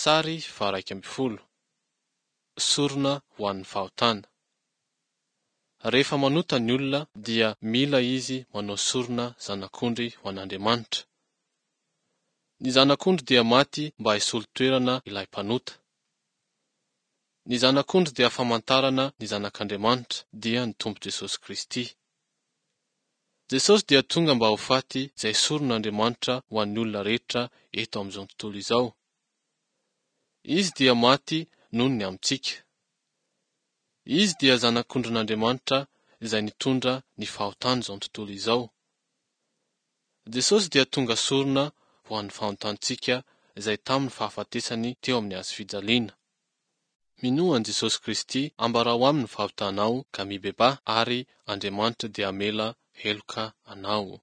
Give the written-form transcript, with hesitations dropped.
Sary faha-11. Sorona ho an'ny fahotana. Rehefa manota ny olona dia mila izy manao sorona zanak'ondry ho an'Andriamanitra. Ny zanak'ondry dia maty mba hisolo toerana ilay mpanota. Ny zanak'ondry dia famantarana ny Zanak'Andriamanitra, dia ny Tompo Jesosy Kristy. Jesosy dia tonga mba ho faty izay soron'Andriamanitra ho an'ny olona rehetra eto amin'izao tontolo izao. Izy dia maty noho ny amintsika. Izy dia Zanak'ondrin'Andriamanitra izay nitondra ny fahotan'izao tontolo izao. Jesosy dia tonga sorona ho an'ny fahotantsika izay tamin'ny fahafatesany teo amin'ny hazo fijaliana. Minoa an'i Jesosy Kristy, ambarao aminy ny fahotanao ka mibebaha ary Andriamanitra dia hamela heloka anao.